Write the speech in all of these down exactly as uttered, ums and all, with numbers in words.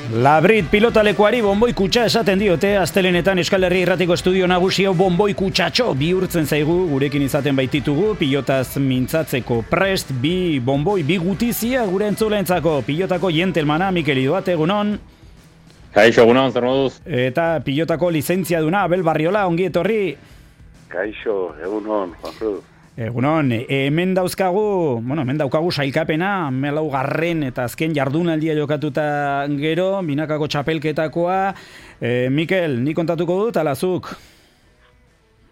Labrit pilotalekuari bonboi kutxa esaten diote, astelenetan Euskal Herria Irratiko estudio nagusio bonboi kutxatxo bihurtzen zaigu, gurekin izaten baititugu, pilotaz mintzatzeko prest, bi bonboi, bi gutizia gure entzuleentzako, pilotako jentelmana, Mikel Idoate, egunon. Kaixo, egunon, zer moduz? Eta pilotako lizentzia duna, Abel Barriola, ongi etorri. Kaixo, egunon, Juan Cruz. Egunon, hemen dauzkagu, bueno, hemen daukagu sailkapena, melaugarren eta azken jardunaldia jokatuta gero, binakako txapelketakoa. E, Mikel, ni kontatuko dut, alazuk?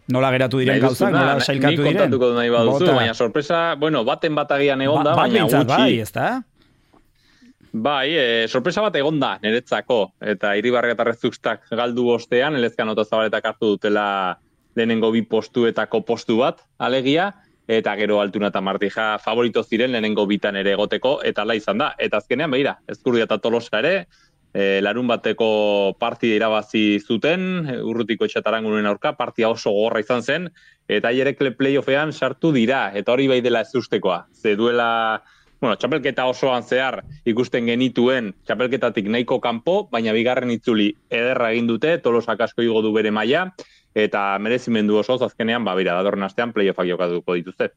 Nola geratu diren gauzak, nola sailkatu diren? Ni kontatuko dut nahi baduzu, baina sorpresa, bueno, baten bat agian egon da, ba, baina gutxi. Bai, ezta? Bai, e, sorpresa bat egon da, niretzako, eta Iribarri eta Rezustak galdu ostean, Elezkano eta Zabaletak hartu dutela lehenengo bi postuetako postu bat, alegia, eta gero Altuna eta Martija favorito ziren lehenengo bitan ere egoteko, eta ala izan da. Eta azkenean, behira, Ezkurdia eta Tolosa ere, e, larun bateko partida irabazi zuten, Urrutiko Etxataranguren aurka, partia oso gogorra izan zen, eta hierekle playoffean sartu dira, eta hori bai dela ez ustekoa. Ze duela, bueno, txapelketa osoan zehar ikusten genituen txapelketatik nahiko kanpo, baina bigarren itzuli ederra egin dute, Tolosak asko igo du bere maila, eta merezimendu osoz azkenean, ba, bera, datorren astean playoffak jokatuko dituzte.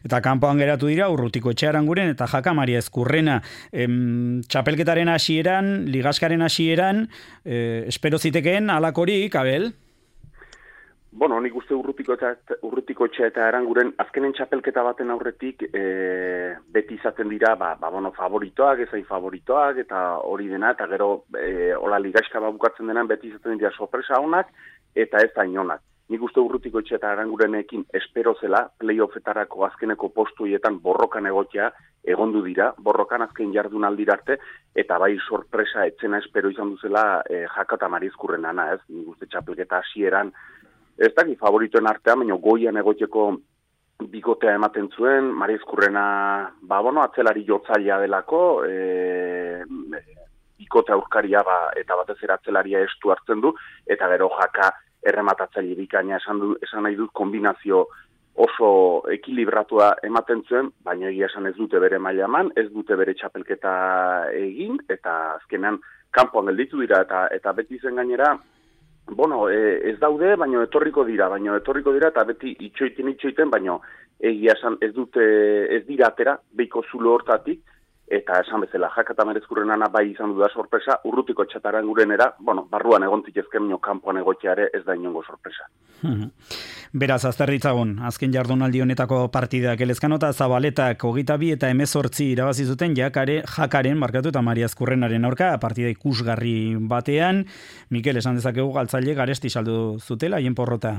Eta kanpoan geratu dira, Urrutiko Etxearanguren eta Jaka Maria Ezkurrena. Em, txapelketaren hasieran, ligaskaren hasieran, eh, espero zitekeen alakorik, Abel? Bueno, nik uste Urrutiko eta Urrutiko Etxea eta Aranguren azkenen txapelketa baten aurretik e, beti izaten dira, ba, ba bueno, favoritoak, ezain favoritoak, eta hori dena, eta gero e, hola ligaska bukatzen denan beti izaten dira sorpresa honak, eta ez da inonak. Nik uste Urrutiko Etxea eta Arangurenekin espero zela, playoffetarako azkeneko postuietan borrokan egotea egondu dira, borrokan azken jardunaldira arte, eta bai sorpresa etzena espero izan duzela e, Jaka eta Maria Ezkurrenana, ez? Nik uste txapelketa hasieran, ez daki favoritoen artean, baina goian egoteko bikotea ematen zuen, Maria Ezkurrena, ba, bueno, atzelari jotzailea delako, e, bikote aurkaria, ba, eta batez ere atzelaria estu hartzen du, eta gero Jaka errematatzaile bikaina esan, du, esan nahi dut kombinazio oso ekilibratua ematen zuen, baina egia esan ez dute bere maila eman, ez dute bere txapelketa egin, eta azkenean kanpoan gelditu dira, eta, eta beti zen gainera, bueno, e, ez daude, baino etorriko dira, baino etorriko dira, eta beti itxoiten itxoiten, baino egia esan ez dute, ez dira atera, behiko zulo hortatik, eta esan bezala, Jaka eta Maria Ezkurrenana bai izan du da sorpresa, Urrutiko Etxatarangurenera, bueno, barruan egontik ezken minio kanpoan egoteare ez da inongo sorpresa. Beraz, azterritzagun, azken jardunaldi honetako partidak, Elezkano eta Zabaletak hogeita bi eta hemezortzi irabazi zuten jakare, Jakaren, markatu eta Maria Ezkurrenaren aurka, partida ikusgarri batean. Mikel, esan dezakegu galtzaile garesti saldu zutela, hien porrota.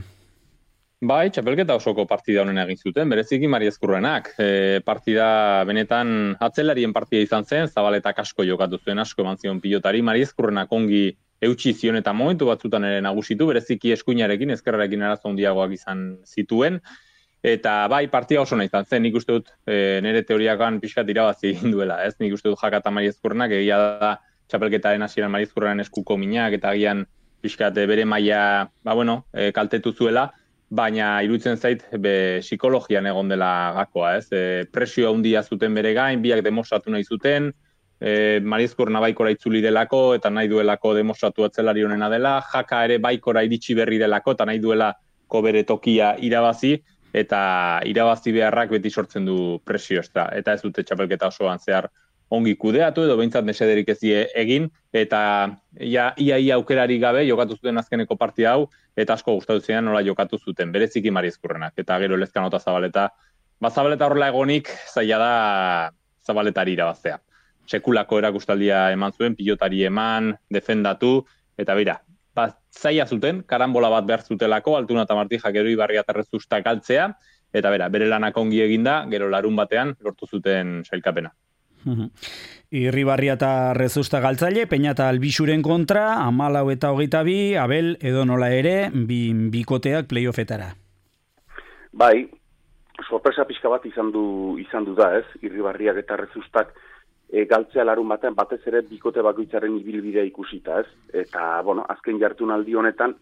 Bai, txapelketa osoko partida honen egin zuten, bereziki Maria Ezkurrenak. E, partida benetan atzelarien partida izan zen, Zabaletak asko jokatu zuen, asko eman zion pilotari, Maria Ezkurrenak ongi eutsi zion eta momentu batzutan ere nagusitu, bereziki eskuinarekin, ezkerrarekin arazo handiagoak izan zituen, eta bai, partida oso nahi izan zen, nik uste dut e, nire teoriakan pixkat irabazi egin duela, ez? Nik uste dut Jaka eta Maria Ezkurrenak, egia da txapelketaren hasieran Maria Ezkurrenan eskuko minak, eta agian pixkat bere maila, ba bueno, e, kaltetu zuela, baina iruditzen zait be, psikologian egon dela gakoa, ez? E, presio handia zuten bere gain, biak demostratu nahi zuten, e, Maria Ezkurrena baikora itzuli delako, eta nahi duelako demostratu atzelari honena dela, Jaka ere baikora iritsi berri delako, eta nahi duelako bere tokia irabazi, eta irabazi beharrak beti sortzen du presio, ez da, eta ez dute txapelketa osoan zehar ongi kudeatu, edo behintzat mesederik ez die egin, eta ia, ia, ia aukerari gabe jokatu zuten azkeneko partida hau, eta asko gustatu ziren nola jokatu zuten, bereziki Maria Ezkurrenak, eta gero Elezkano eta Zabaleta. Ba, Zabaleta horrela egonik, zaila da Zabaletari irabaztea. Sekulako erakustaldia eman zuen, pilotari eman, defendatu, eta bera, ba, zaila zuten, karambola bat behar zutelako, Altuna eta Martija gero Ibarri eta Rezustak galtzea, eta bera, bere lanak ongi eginda, gero larun batean lortu zuten sailkapena. Irribarria eta Rezusta galtzaile, Peña eta Albixuren kontra, hamalau eta hogeita bi, Abel edo nola ere, bi, bikoteak playoffetara. Bai, sorpresa pixka bat izan du, izan du da, ez? Irribarriak eta Rezustak e, galtzea larun batean batez ere bikote bakoitzaren ibilbidea ikusita, ez? Eta, bueno, azken jardunaldi honetan,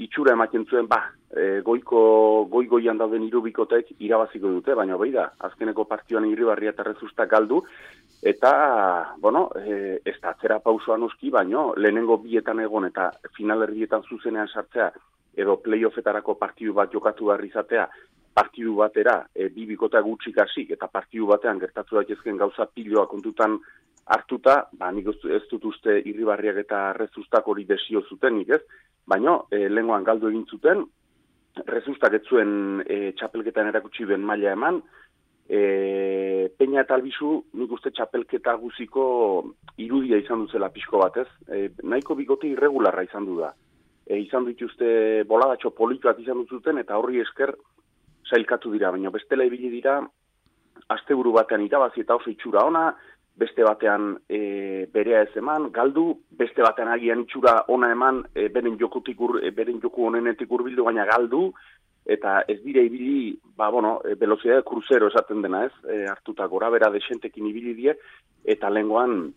itxura ematen zuen, ba, e, goiko, goi-goian dauden hiru bikotek irabaziko dute, baina bai da, azkeneko partioan Irribarria eta Rezustak galdu, Eta, bueno, e, ez da atzera pausua noski, baino, lehenengo bietan egon eta finalerdietan zuzenean sartzea, edo playoffetarako partidu bat jokatu behar izatea, partidu batera, e, bi bikota gutxik hasik eta partidu batean gertatu daitezken gauza piloa kontutan hartuta, ba, nik ez dut uste Irribarriak eta Rezustak hori desio zutenik, ez? Baina, e, lehengoan galdu egin zuten, Rezustak ez zuen e, txapelketan erakutsi duen maila eman, e, Peña eta Albizu nik uste txapelketa guziko irudia izan duzela pixko batez, e, nahiko bikote irregularra izan du da. E, izan dituzte boladatxo polituak izan duzuten eta horri esker sailkatu dira, baina bestela ibili dira asteburu batean irabazi eta oso itxura ona, beste batean e, berea ez eman, galdu, beste batean agian itxura ona eman, e, beren jokutik ur, e, beren joku honenetik hurbildu baina galdu, eta ez dira ibili, ba, bueno, e, velocidade crucero esaten dena ez, e, hartuta gora bera desentekin ibili die, eta lengoan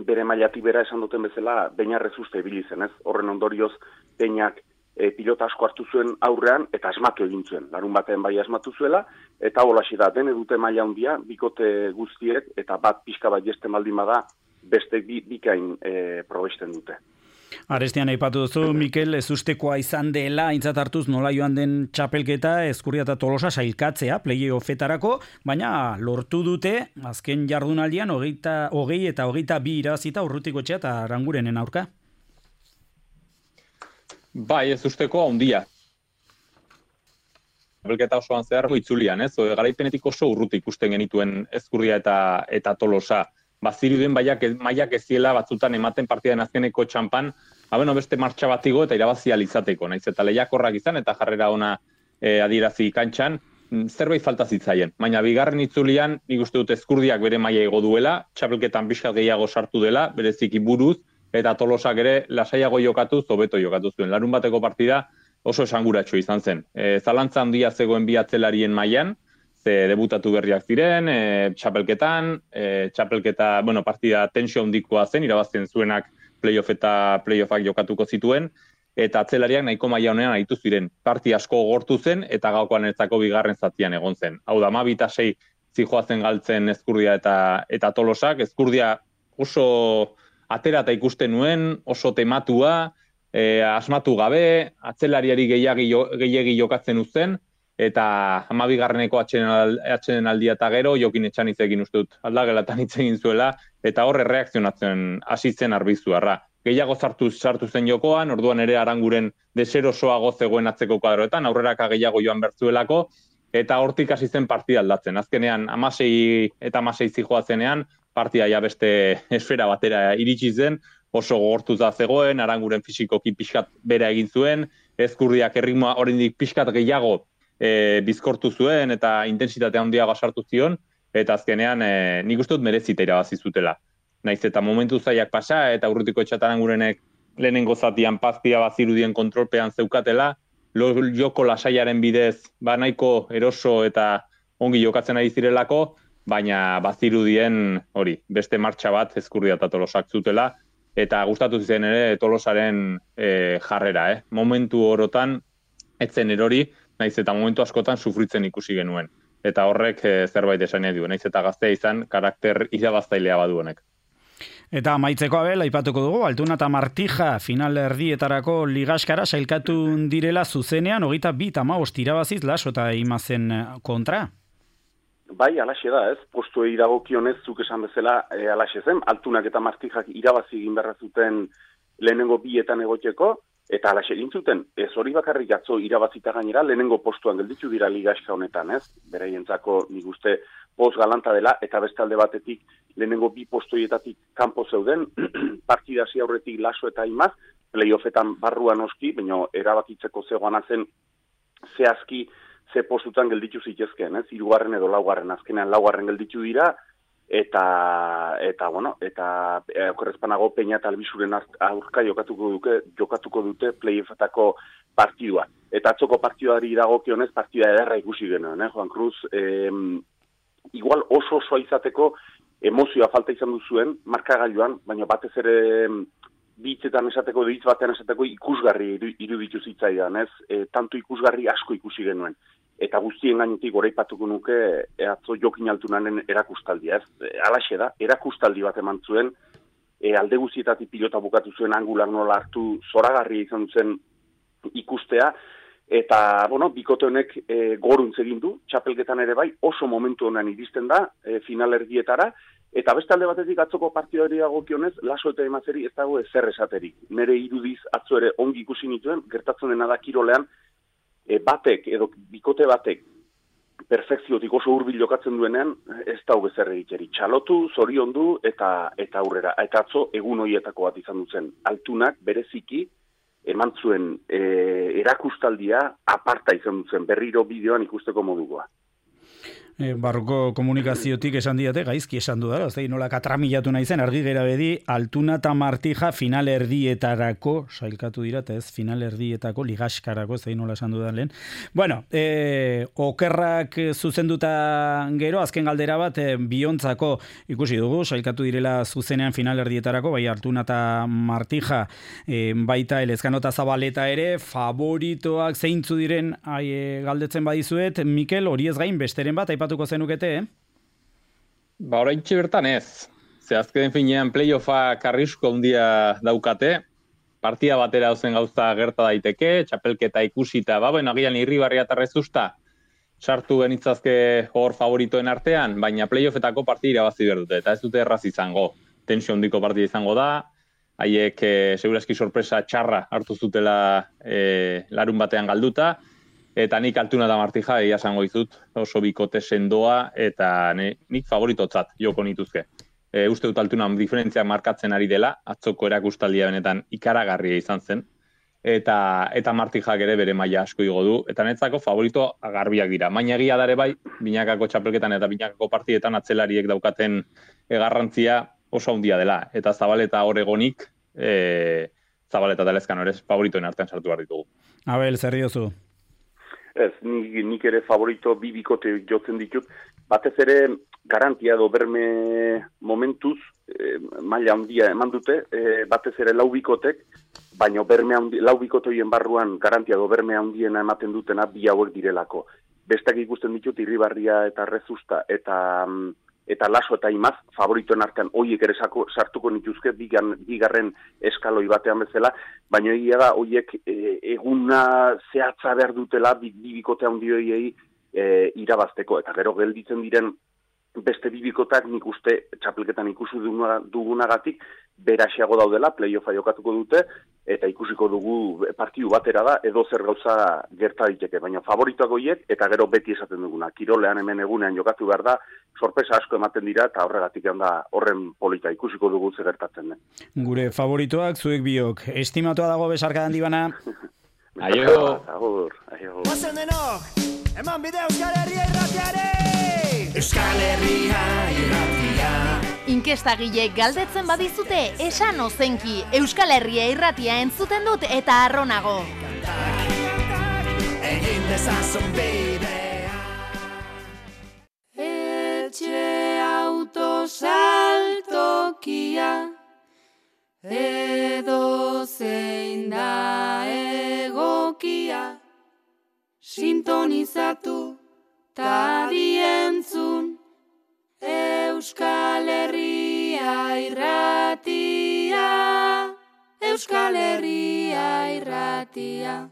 bere mailatik bera esan duten bezala, Beña Rezusta ibili zen ez, horren ondorioz Peñak e, pilota asko hartu zuen aurrean, eta asmatu egin zuen, larun batean bai asmatu zuela, eta holaxe da, dene dute maila handia, bikote guztiek, eta bat pixka bat jesten baldin bada, beste bi, bikain e, probesten dute. Arestian aipatu duzu, Mikel, ez ustekoa izan dela, aintzat hartuz nola joan den txapelketa, Eskurdia eta Tolosa sailkatzea, playoffetarako, baina lortu dute, azken jardunaldian, hogeita, hogei eta hogeita bi irazita Urrutikoetxea eta Arangurenen aurka. Bai, ez usteko handia. Txapelketa osoan zeharko itzulian, ez? Garaipenetik oso urruti ikusten genituen Eskurdia eta, eta Tolosa. Bazirudien baiak, maiak eziela batzutan ematen partidan azkeneko txampan, abeno beste martxa batigo eta irabazia izateko, naiz eta lehiakorrak izan eta jarrera ona e, adierazi kantxan, zerbait falta zitzaien. Baina bigarren itzulian, nik uste dut Eskurdiak bere maila igo duela, txapelketan pixkat gehiago sartu dela, bereziki buruz, eta Tolosak ere lasaiago jokatu, hobeto jokatu zuen. Larun bateko partida oso esanguratxo izan zen. E, zalantza handia zegoen bi atzelarien mailan, ze debutatu berriak ziren, e, txapelketan, e, txapelketa, bueno, partida tensio handikoa zen, irabazten zuenak playoff eta playoffak jokatuko zituen, eta atzelariak nahiko maila honean aritu ziren. Parti asko gortu zen, eta gaukoan etzako bigarren zatian egon zen. Hau da, ama bita sei zijoazen galtzen Eskurdia eta, eta Tolosak. Eskurdia oso atera eta ikusten nuen, oso tematua, e, asmatu gabe, atzelariari gehiagi, gehiagi jokatzen uzten, eta hamabigarreneko atxeden aldia eta gero, Jokin Etxaniz egin uste dut, aldagelatan hitz egin zuela, eta horre reakzionatzen hasi zen Arbizuarra. Gehiago sartu, sartu zen jokoan, orduan ere Aranguren deserosoago zegoen atzeko kuadroetan, aurreraka gehiago joan bertzuelako, eta hortik hasi zen partida aldatzen. Azkenean, amasei eta amasei zijoa zenean, partida ja beste esfera batera iritsi zen, oso gogortuta zegoen, Aranguren fisikoki pixkat bera egin zuen, Eskurdiak erritmoa oraindik pixkat gehiago E, bizkortu zuen eta intentsitatea handiago sartu zion, eta azkenean e, nik uste dut merezita irabazi zutela. Naiz eta momentu zaiak pasa, eta Urrutikoetxea eta Arangurenek lehenengo zatian paztia bazirudien kontrolpean zeukatela, lo, joko lasaiaren bidez ba nahiko eroso eta ongi jokatzen ari zirelako, baina bazirudien hori, beste martxa bat Eskurdia eta Tolosak zutela, eta gustatu ziren ere Tolosaren e, jarrera, eh? Momentu orotan, etzen erori, naiz eta momentu askotan sufritzen ikusi genuen. Eta horrek e, zerbait esan edu, naiz eta gaztea izan, karakter irabaztailea badu honek. Eta amaitzeko abel, aipatuko dugu, Altuna eta Martija final erdietarako ligaskara sailkatu direla zuzenean, hogeita bi eta hamabost irabaziz Laso eta Imazen kontra. Bai, alaxe da, ez? Postuei dagokionez, zuk esan bezala, e, alaxe zen, Altunak eta Martijak irabazi egin beharra zuten lehenengo bietan egoteko, eta alaxe egin zuten, ez hori bakarrik atzo irabazita gainera, lehenengo postuan gelditu dira ligaska honetan, ez? Beraientzako nik uste post galanta dela, eta beste alde batetik lehenengo bi postoietatik kanpo zeuden, partida hasi aurretik Laso eta Imaz, playoffetan barruan oski, baina erabakitzeko zegoana zen zehazki ze postutan gelditu zitezkeen, ez? Hirugarren edo laugarren, azkenean laugarren gelditu dira, eta eta bueno, eta e, okerrezpanago Peña eta Albizuren aurka jokatuko dute, jokatuko dute playoffetako partidua. Eta atzoko partiduari dagokionez partida ederra ikusi genuen, eh, Juan Cruz, eh, igual oso osoa izateko emozioa falta izan duzuen markagailuan, baina batez ere bitzetan esateko, hitz batean esateko ikusgarri iruditu zitzaidan, ez? E, tanto ikusgarri asko ikusi genuen. eta guztien gainetik goraipatuko nuke e, atzo Jokin Altunanen erakustaldia, ez? E, alaxe da, erakustaldi bat eman zuen, e, alde guztietatik pilota bukatu zuen angular nola hartu zoragarria izan zen ikustea, eta, bueno, bikote honek e, goruntz egin du, txapelketan ere bai, oso momentu honean iristen da, e, final erdietara, eta beste alde batetik atzoko partidari dagokionez, Laso eta Emazeri ez dago ezer esaterik. Nere irudiz atzo ere ongi ikusi nituen, gertatzen dena da kirolean, e, batek edo bikote batek perfekziotik oso hurbil jokatzen duenean, ez dago ezer egiteri. Txalotu, zoriondu eta eta aurrera. Eta atzo egun horietako bat izan duzen. Altunak bereziki eman zuen e, erakustaldia aparta izan duzen, berriro bideoan ikusteko modukoa. E, barruko komunikaziotik esan diate, gaizki esan du dara, ozei nola katramilatu nahi zen, argi gera bedi, Altuna eta Martija final erdietarako, sailkatu dira, eta ez final erdietako ligaskarako, zein nola esan du da lehen. Bueno, e, okerrak zuzenduta gero, azken galdera bat, e, biontzako ikusi dugu, sailkatu direla zuzenean final erdietarako, bai Altuna eta Martija, e, baita Elezkano eta Zabaleta ere, favoritoak zeintzu diren ai, e, galdetzen badizuet, Mikel, hori ez gain, besteren bat, aipatuko zenukete, eh? Ba, oraintxe bertan ez. Ze azken finean playoffa karrisko handia daukate, partia batera ozen gauza gerta daiteke, txapelketa ikusita, ba, bueno, agian Irribarria eta Rezusta sartu genitzazke hor favoritoen artean, baina playoffetako partida irabazi behar dute, eta ez dute erraz izango. Tensio handiko partida izango da, haiek e, seguraski sorpresa txarra hartu zutela e, larun batean galduta, eta nik Altuna da Martija egia esango dizut, oso bikote sendoa, eta ne, nik favoritotzat joko nituzke. E, uste dut Altuna diferentzia markatzen ari dela, atzoko erakustaldia benetan ikaragarria izan zen, eta eta Martijak ere bere maila asko igo du, eta netzako favorito garbiak dira. Baina egia dare bai, binakako txapelketan eta binakako partietan atzelariek daukaten garrantzia oso handia dela, eta Zabaleta Oregonik, e, Zabaleta eta Elezkano ere favoritoen artean sartu behar ditugu. Abel, zer diozu? Ez, nik, nik ere favorito bi bikote jotzen ditut, batez ere garantia edo berme momentuz, e, maila handia eman dute, e, batez ere lau bikotek, baina berme handi, lau bikotoien barruan garantia edo berme handiena ematen dutena bi hauek direlako. Bestak ikusten ditut Irribarria eta Rezusta eta eta Laso eta Imaz favoritoen artean hoiek ere sako, sartuko nituzke bigan, bigarren eskaloi batean bezala, baina egia da hoiek e, eguna zehatza behar dutela bi, bi bikote handioiei e, irabazteko, eta gero gelditzen diren beste bibikotak nik uste txapelketan ikusi dugunagatik berasiago daudela, playoffa jokatuko dute, eta ikusiko dugu partidu batera da, edo zer gauza gerta diteke, baina favoritoak goiek, eta gero beti esaten duguna. Kirolean hemen egunean jokatu behar da, sorpresa asko ematen dira, eta horregatik da horren polita ikusiko dugu zer gertatzen den. Gure favoritoak, zuek biok, estimatua dago besarka handi bana. Aio! Agur, aio! Ozen denok, eman bide Euskal Herria irratiare! Euskal Herria irratia. Inkestagileek galdetzen badizute, esan ozenki, Euskal Herria irratia entzuten dut eta arronago. Egin dezazun bidea. Etxe autosaltokia, edo zein da egokia, sintonizatu ta dientzun, Euskal Herria irratia, Euskal Herria irratia.